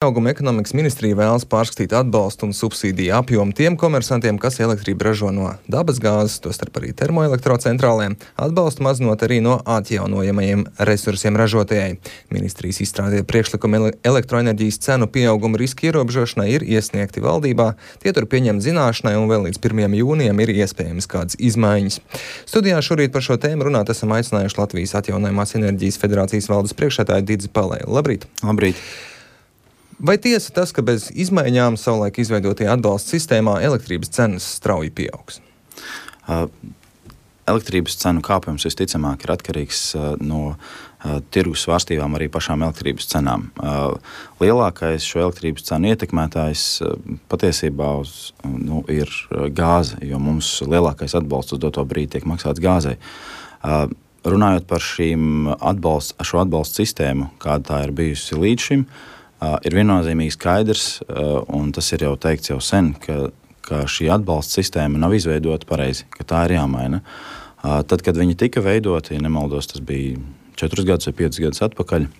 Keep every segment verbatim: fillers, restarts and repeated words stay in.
Auguma ekonomikas ministrija vēlas pārskatīt atbalstu un subsīdiju apjomu tiem komersantiem, kas elektrību ražo no dabasgāzes, tostarp arī termoelektrocentrālēm, atbalstu mazinot arī no atjaunojamajiem resursiem ražotājai. Ministrijas izstrādītie priekšlikumi elektroenerģijas cenu pieauguma riska ierobežošanai ir iesniegti valdībā, tie tur pieņemt zināšanai un vēl līdz pirmajam jūnijam ir iespējams kādas izmaiņas. Studijā šorīt par šo tēmu runāt esam aicinājuši Latvijas atjaunojamās enerģijas federācijas valdes priekšsēdētāju Didzi Palēlu. Labrīt! Labrīt! Vai tiesa tas, ka bez izmaiņām savulaik izveidotajā atbalsta sistēmā elektrības cenas strauji pieaugs? Uh, elektrības cenu kāpums visticamāk ir atkarīgs uh, no uh, tirgus svārstībām arī pašām elektrības cenām. Uh, lielākais šo elektrības cenu ietekmētājs uh, patiesībā uz, nu, ir gāze, jo mums lielākais atbalsts uz doto brīdi tiek maksāts gāzei. Uh, runājot par šīm atbalst, šo atbalstu sistēmu, kāda tā ir bijusi līdz šim, Uh, ir viennozīmīgi skaidrs, uh, un tas ir jau teikts jau sen, ka, ka šī atbalsta sistēma nav izveidota pareizi, ka tā ir jāmaina. Uh, tad, kad viņi tika veidoti, ja nemaldos, tas bija četrus gadus vai piecus gadus atpakaļ,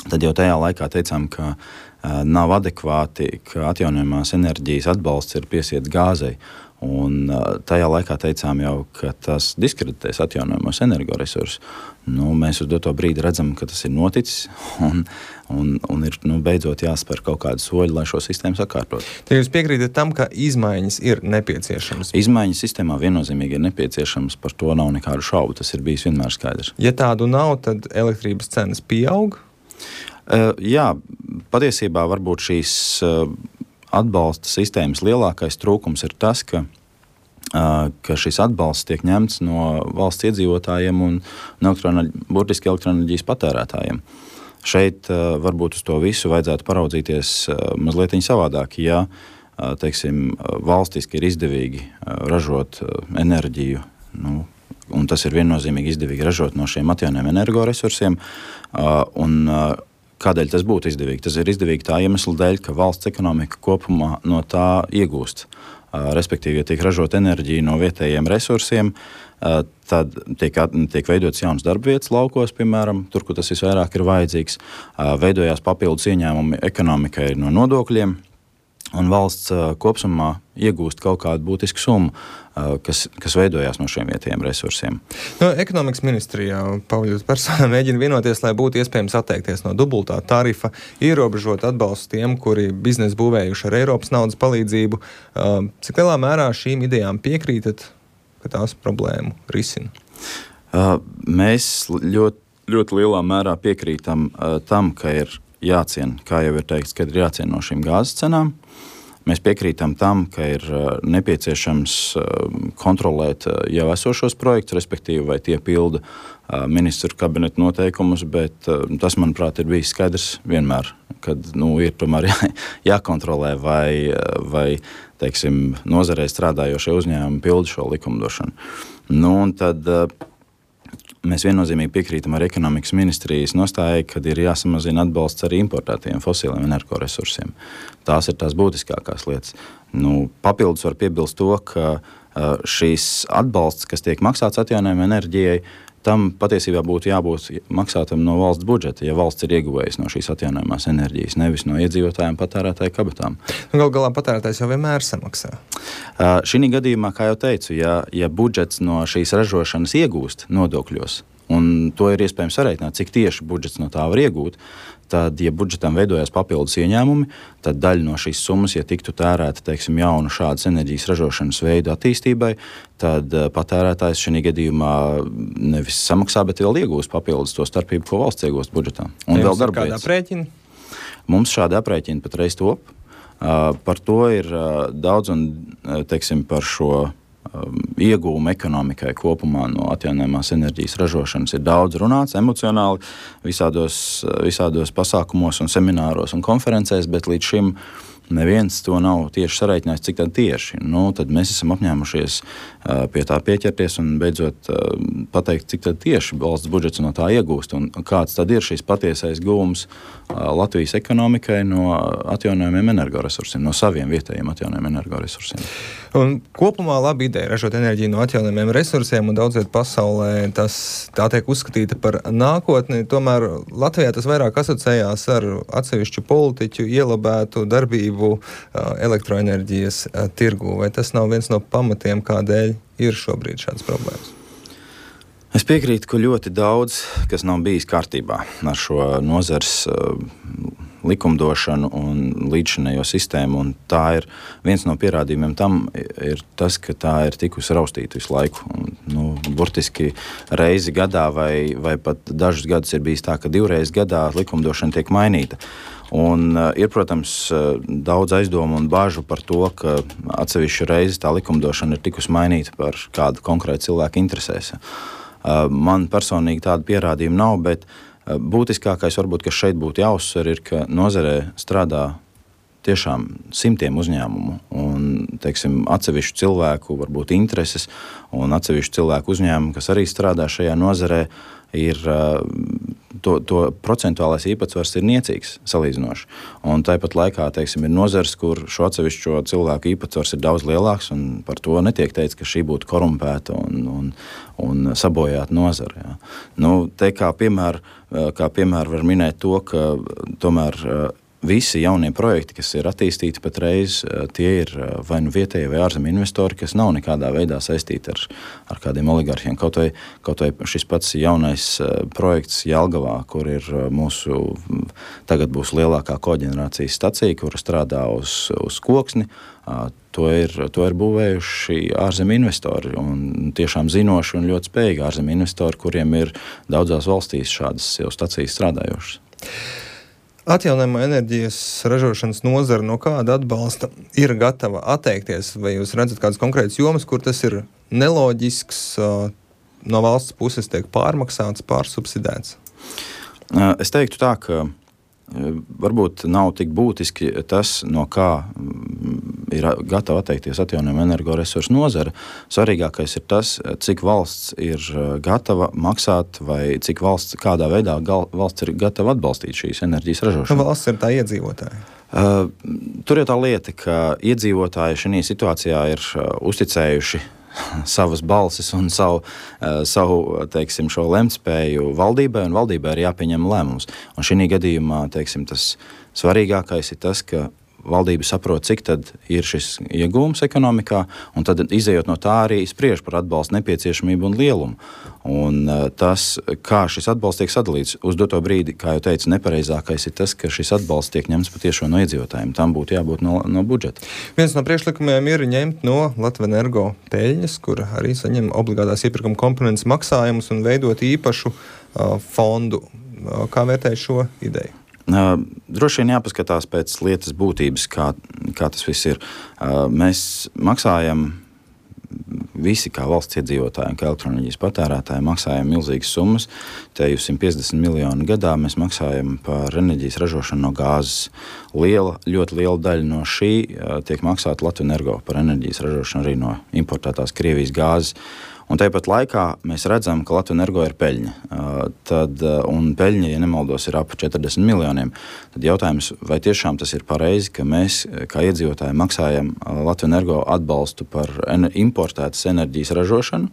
tad jau tajā laikā teicām, ka uh, nav adekvāti, ka atjaunojamās enerģijas atbalsts ir piesiets gāzei. Un uh, tajā laikā teicām jau, ka tas diskreditēs atjaunojamos energoresursus. Nu, mēs uz doto brīdi redzam, ka tas ir noticis un, un, un ir nu, beidzot jāspēr kaut kādi soļi, lai šo sistēmu sakārtot. Tad jūs piekrītat tam, ka izmaiņas ir nepieciešamas? Izmaiņas sistēmā viennozīmīgi ir nepieciešamas, par to nav nekādu šaubu, tas ir bijis vienmēr skaidrs. Ja tādu nav, tad elektrības cenas pieaug? Uh, jā, patiesībā varbūt šīs uh, atbalsta sistēmas lielākais trūkums ir tas, ka ka šis atbalsts tiek ņemts no valsts iedzīvotājiem un elektroenerģi, burtiski elektroenerģijas patērētājiem. Šeit uh, varbūt uz to visu vajadzētu paraudzīties uh, mazliet savādāk. Ja uh, teiksim, valstiski ir izdevīgi uh, ražot uh, enerģiju, nu, un tas ir viennozīmīgi izdevīgi ražot no šiem atjaunojamiem energoresursiem, uh, un uh, kādēļ tas būtu izdevīgi? Tas ir izdevīgi tā iemesla dēļ, ka valsts ekonomika kopumā no tā iegūst. Respektīvi, ja tiek ražot enerģija no vietējiem resursiem, tad tiek, tiek veidots jauns darbvietas laukos, piemēram, tur, kur tas visvairāk ir vajadzīgs, veidojās papildus ieņēmumi ekonomikai no nodokļiem, un valsts kopsumā iegūst kaut kādu būtisku summu, kas, kas veidojās no šiem vietējiem resursiem. No ekonomikas ministrijā Pauļus persona mēģina vienoties, lai būtu iespējams atteikties no dubultā tarifa, ierobežot atbalstu tiem, kuri biznesu būvējuši ar Eiropas naudas palīdzību. Cik lielā mērā šīm idejām piekrītat, ka tās problēmu risina? Mēs ļoti, ļoti lielā mērā piekrītam tam, ka ir jāciena, kā jau ir teikts, ka ir jāciena no šīm gāzes cenām. Mēs piekrītam tam, ka ir nepieciešams kontrolēt jau esošos projektus, respektīvi, vai tie pilda ministru kabineta noteikumus, bet tas, manuprāt, ir bijis skaidrs vienmēr, kad nu, ir tomēr jā, jākontrolē, vai, vai teiksim, nozarē strādājošie uzņēmumi pilda šo likumdošanu. Nu, un tad mēs viennozīmīgi piekrītam ar ekonomikas ministrijas nostājai, kad ir jāsamazina atbalsts arī importētiem fosiliem energoresursiem. Tās ir tās būtiskākās lietas. Nu, papildus var piebilst to, ka šīs atbalsts, kas tiek maksāts atjaunojamai enerģijai, tam patiesībā būtu jābūt maksātam no valsts budžeta, ja valsts ir ieguvējis no šīs atjaunojamās enerģijas, nevis no iedzīvotājiem patērētāju kabatām. Nu, gal galā patērētājs jau vienmēr samaksā. Uh, šī gadījumā, kā jau teicu, ja, ja budžets no šīs ražošanas iegūst nodokļos, un to ir iespējams sareiķināt, cik tieši budžets no tā var iegūt, tad, ja budžetam veidojās papildus ieņēmumi, tad daļa no šīs summas, ja tiktu tērēta, teiksim, jaunu šādas enerģijas ražošanas veidu attīstībai, tad patērētājs šī gadījumā nevis samaksā, bet vēl iegūst papildus to starpību, ko valsts iegūst budžetā. Un ja vēl darbvietas. Kādā aprēķina? Mums šādi aprēķini patreiz top. Uh, par to ir uh, daudz un, uh, teiksim, par šo iegūmu ekonomikai kopumā no atjaunojamās enerģijas ražošanas ir daudz runāts emocionāli visādos, visādos pasākumos un semināros un konferencēs, bet līdz šim neviens to nav tieši sareiķinājis, cik tad tieši. Nu, tad mēs esam apņēmušies uh, pie tā pieķerties un beidzot uh, pateikt, cik tad tieši valsts budžets no tā iegūst un kāds tad ir šīs patiesais gūms uh, Latvijas ekonomikai no atjaunojamiem energoresursiem, no saviem vietējiem atjaunojamiem energoresursiem. Un kopumā laba ideja ražot enerģiju no atjaunojumiem resursiem, un daudz viet pasaulē tas tā tiek uzskatīta par nākotni. Tomēr Latvijā tas vairāk asociējās ar atsevišķu politiķu ielabētu darbību elektroenerģijas tirgū. Vai tas nav viens no pamatiem, kādēļ ir šobrīd šādas problēmas? Es piekrītu, ka ļoti daudz, kas nav bijis kārtībā ar šo nozars uh, likumdošanu un līdzšinējo sistēmu, un tā ir viens no pierādījumiem tam ir tas, ka tā ir tikusi raustīta visu laiku. Un, nu, burtiski reizi gadā vai, vai pat dažus gadus ir bijis tā, ka divreiz gadā likumdošana tiek mainīta. Un uh, ir, protams, uh, daudz aizdomu un bāžu par to, ka atsevišķu reizi tā likumdošana ir tikusi mainīta par kādu konkrētu cilvēku interesēs. Man personīgi tāda pierādījuma nav, bet būtiskākais, varbūt, kas šeit būtu jāuzsver, ir, ka nozarē strādā tiešām simtiem uzņēmumu un, teiksim, atsevišķu cilvēku, varbūt intereses un atsevišķu cilvēku uzņēmumu, kas arī strādā šajā nozarē, ir to, to procentuālais īpatsvars ir niecīgs salīdzinoši. Un tāpat laikā, teiksim, ir nozars, kur šo atsevišķo cilvēku īpatsvars ir daudz lielāks, un par to netiek teikts, ka šī būtu korumpēta un, un, un sabojāta nozara. Jā. Nu, te kā piemēru, kā piemēru var minēt to, ka tomēr visi jaunie projekti, kas ir attīstīti patreiz, tie ir vai nu vietējie vai ārzemju investori, kas nav nekādā veidā saistīti ar, ar kādiem oligarhiem. Kaut vai, kaut vai šis pats jaunais projekts Jelgavā, kur ir mūsu, tagad būs lielākā koģenerācijas stacija, kura strādā uz, uz koksni, to ir, to ir būvējuši ārzemju investori un tiešām zinoši un ļoti spējīgi ārzemju investori, kuriem ir daudzās valstīs šādas jau stacijas strādājošas. Atjaunojamo enerģijas ražošanas nozara no kāda atbalsta ir gatava atteikties? Vai jūs redzat kādas konkrētas jomas, kur tas ir neloģisks, no valsts puses tiek pārmaksāts, pārsubsidēts? Es teiktu tā, ka varbūt nav tik būtiski tas, no kā ir gatava atteikties atjaunojamo energoresursu nozara. Svarīgākais ir tas, cik valsts ir gatava maksāt vai cik valsts, kādā veidā gal, valsts ir gatava atbalstīt šīs enerģijas ražošanu. Valsts ir tā iedzīvotāji. Uh, tur ir tā lieta, ka iedzīvotāji šajā situācijā ir uh, uzticējuši savas balsis un savu, savu teiksim, šo lemtspēju valdībai, un valdībai ir jāpieņem lēmums. Un šī gadījumā, teiksim, tas svarīgākais ir tas, ka valdība saprot, cik tad ir šis iegūms ekonomikā, un tad izējot no tā arī spriež par atbalstu nepieciešamību un lielumu. Un tas, kā šis atbalsts tiek sadalīts uz doto brīdi, kā jau teicu, nepareizākais ir tas, ka šis atbalsts tiek ņemts patiešo no iedzīvotājiem. Tam būtu jābūt no, no budžeta. Viens no priekšlikumiem ir ņemt no Latvenergo peļņas, kur arī saņem obligātās iepirkuma komponentes maksājumus un veidot īpašu uh, fondu. Uh, kā vērtēj šo ideju? Uh, droši vien jāpaskatās pēc lietas būtības, kā, kā tas viss ir. Uh, mēs maksājam visi kā valsts iedzīvotāji, kā elektroenerģijas patērētāji, maksājam milzīgas summas. Te jau simt piecdesmit miljoni gadā mēs maksājam par enerģijas ražošanu no gāzes. Liela, ļoti liela daļa no šī uh, tiek maksāta Latvenergo par enerģijas ražošanu arī no importētās Krievijas gāzes. Un tāpat laikā mēs redzam, ka Latvenergo ir peļņa. Uh, tad, uh, un peļņa, ja nemaldos, ir ap četrdesmit miljoniem. Tad jautājums, vai tiešām tas ir pareizi, ka mēs, kā iedzīvotāji, maksājam uh, Latvenergo atbalstu par ener- importētas enerģijas ražošanu.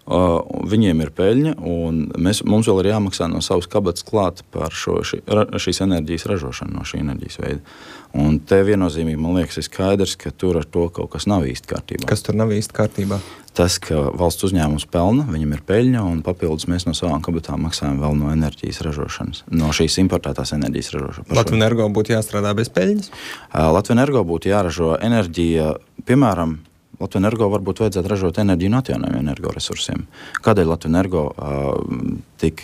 Uh, viņiem ir peļņa, un mēs, mums vēl ir jāmaksā no savas kabatas klāt par šo, ši, ra, šīs enerģijas ražošanu no šī enerģijas veida. Un te viennozīmīgi, man liekas, ir skaidrs, ka tur ar to kaut kas nav īsti kārtībā. Kas tur nav īsti kārtībā? Tas, ka valsts uzņēmums pelna, viņam ir peļņa, un papildus mēs no savām kabatām maksājam vēl no enerģijas ražošanas, no šīs importētās enerģijas ražošanas. Latvenergo būtu jāstrādā bez peļņas? Uh, Latvenergo būtu jāražo enerģija, piemēram, Latvenergo varbūt vajadzētu ražot enerģiju no atjaunojumiem energoresursiem. Kādēļ Latvenergo uh, tik,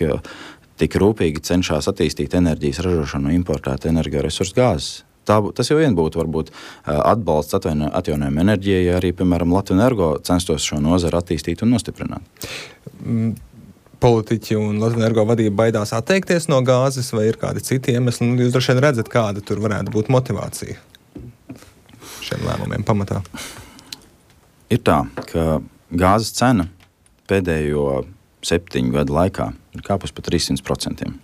tik rūpīgi cenšas attīstīt enerģijas ražošanu no importēta energoresursu gāzes? Tā, tas jau vien būtu varbūt atbalsts atjaunojumu enerģijai, ja arī, piemēram, Latvenergo censtos šo nozaru attīstīt un nostiprināt. Mm. Politiķi un Latvenergo vadība baidās atteikties no gāzes, vai ir kādi citi iemesli? Jūs droši vien redzat, kāda tur varētu būt motivācija šiem lēmumiem pamatā. Ir tā, ka gāzes cena pēdējo septiņu gadu laikā ir kāpus par trīssimts procentiem.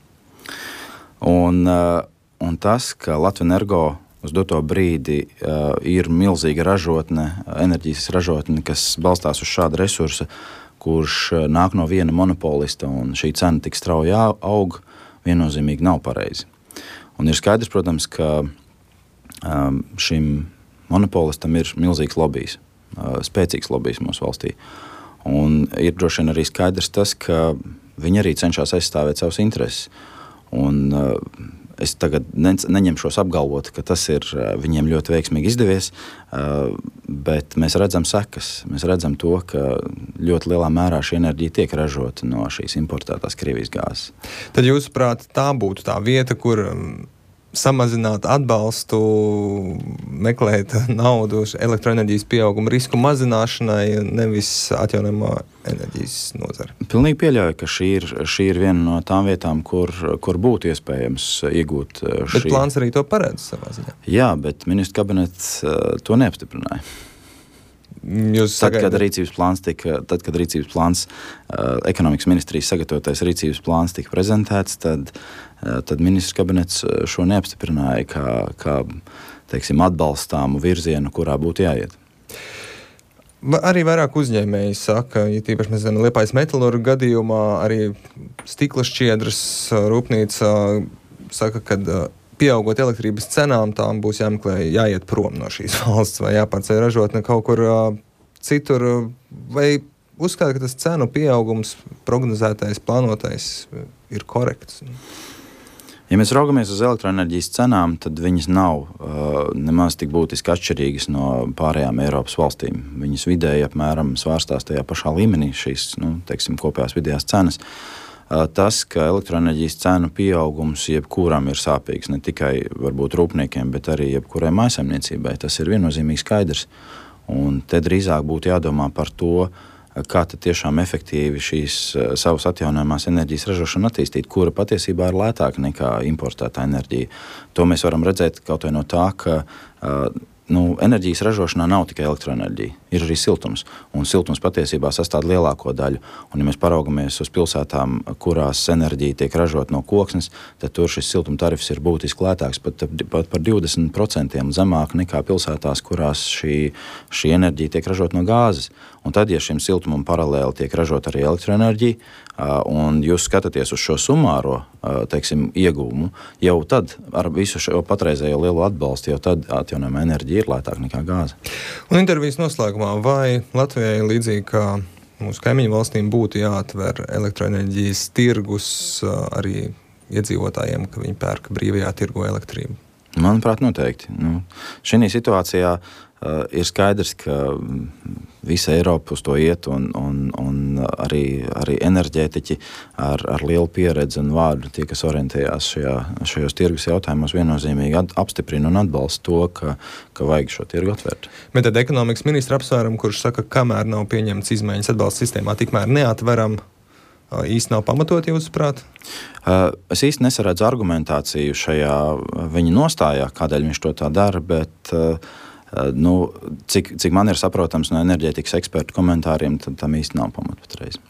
Un, un tas, ka Latvenergo uz doto brīdi uh, ir milzīga ražotne, enerģijas ražotne, kas balstās uz šāda resursa, kurš uh, nāk no viena monopolista, un šī cena tik strauji aug, viennozīmīgi nav pareizi. Un ir skaidrs, protams, ka um, šim monopolistam ir milzīgs lobijs, uh, spēcīgs lobijs mūsu valstī. Un ir droši vien arī skaidrs tas, ka viņi arī cenšas aizstāvēt savus intereses. Un uh, es tagad ne, neņemšos apgalvot, ka tas ir uh, viņiem ļoti veiksmīgi izdevies, uh, bet mēs redzam sekas. Mēs redzam to, ka ļoti lielā mērā šī enerģija tiek ražota no šīs importētās Krievijas gāzes. Tad jūsuprāt, tā būtu tā vieta, kur samazināt atbalstu, meklēt naudu elektroenerģijas pieauguma risku mazināšanai, nevis atjaunojamo enerģijas nozari. Pilnīgi pieļauju, ka šī ir, šī ir viena no tām vietām, kur, kur būtu iespējams iegūt šī... Bet plāns arī to paredz savā ziņā. Jā, bet ministru kabinets to neapstiprināja. Jūs tad, sagaidat... kad rīcības plāns tika, tad, kad rīcības plāns, uh, ekonomikas ministrijas sagatavotais rīcības plāns tika prezentēts, tad, uh, tad ministrs kabinets šo neapstiprināja kā, kā teiksim, atbalstāmu virzienu, kurā būtu jāiet. Arī vairāk uzņēmēji saka, ja tīpaši mēs zinām, Liepājas metalurga gadījumā arī stikla šķiedras rūpnīca saka, ka pieaugot elektrības cenām, tām būs jāmeklē, jāiet prom no šīs valsts vai jāpārceļ ražotne kaut kur uh, citur. Vai uzskata, ka tas cenu pieaugums prognozētais, plānotais ir korekts? Ja mēs raugamies uz elektroenerģijas cenām, tad viņas nav uh, nemaz tik būtiski atšķirīgas no pārējām Eiropas valstīm. Viņas vidēji apmēram svārstās tajā pašā līmenī šīs, nu, teiksim, kopējās vidējās cenas. Tas, ka elektroenerģijas cenu pieaugums jebkuram ir sāpīgs, ne tikai varbūt rūpniekiem, bet arī jebkurai mājsaimniecībai, tas ir viennozīmīgi skaidrs. Un te drīzāk būtu jādomā par to, kā tad tiešām efektīvi šīs savas atjaunojamās enerģijas ražošanu attīstīt, kura patiesībā ir lētāka nekā importētā enerģija. To mēs varam redzēt kaut vai no tā, ka uh, Nu, enerģijas ražošanā nav tikai elektroenerģija, ir arī siltums, un siltums patiesībā sastāv lielāko daļu. Un, ja mēs paraugamies uz pilsētām, kurās enerģija tiek ražot no koksnes, tad tur šis siltuma tarifs ir būtiski lētāks, pat, pat par divdesmit procentiem zemāk nekā pilsētās, kurās šī, šī enerģija tiek ražot no gāzes. Un tad, ja šim siltumam paralēli tiek ražot arī elektroenerģija, un jūs skatāties uz šo sumāro, teiksim, ieguvumu, jau tad ar visu šo patreizējo lielo atbalstu, jau tad atjaunojama enerģija ir lētāka nekā gāze. Un intervijas noslēgumā, vai Latvijai līdzīgi kā mūsu kaimiņu valstīm būtu jāatver elektroenerģijas tirgus arī iedzīvotājiem, ka viņi pērk brīvajā tirgo elektrību? Manuprāt, noteikti. Nu, šī situācijā uh, ir skaidrs, ka visa Eiropa uz to iet, un, un, un arī, arī enerģētiķi ar, ar lielu pieredzi un vārdu, tie, kas orientējās šajā, šajos tirgus jautājumos, viennozīmīgi apstiprina un atbalsta to, ka, ka vajag šo tirgu atvērt. Bet tad ekonomikas ministra apsvērumu, kurš saka, kamēr nav pieņemts izmaiņas atbalsta sistēmā, tikmēr neatveram, īsti nav pamatot, jūsuprāt? Es īsti nesaredzu argumentāciju šajā viņa nostājā, kādēļ viņš to tā dara, bet nu, cik, cik man ir saprotams no enerģētikas ekspertu komentāriem, tad tam īsti nav pamata patreiz.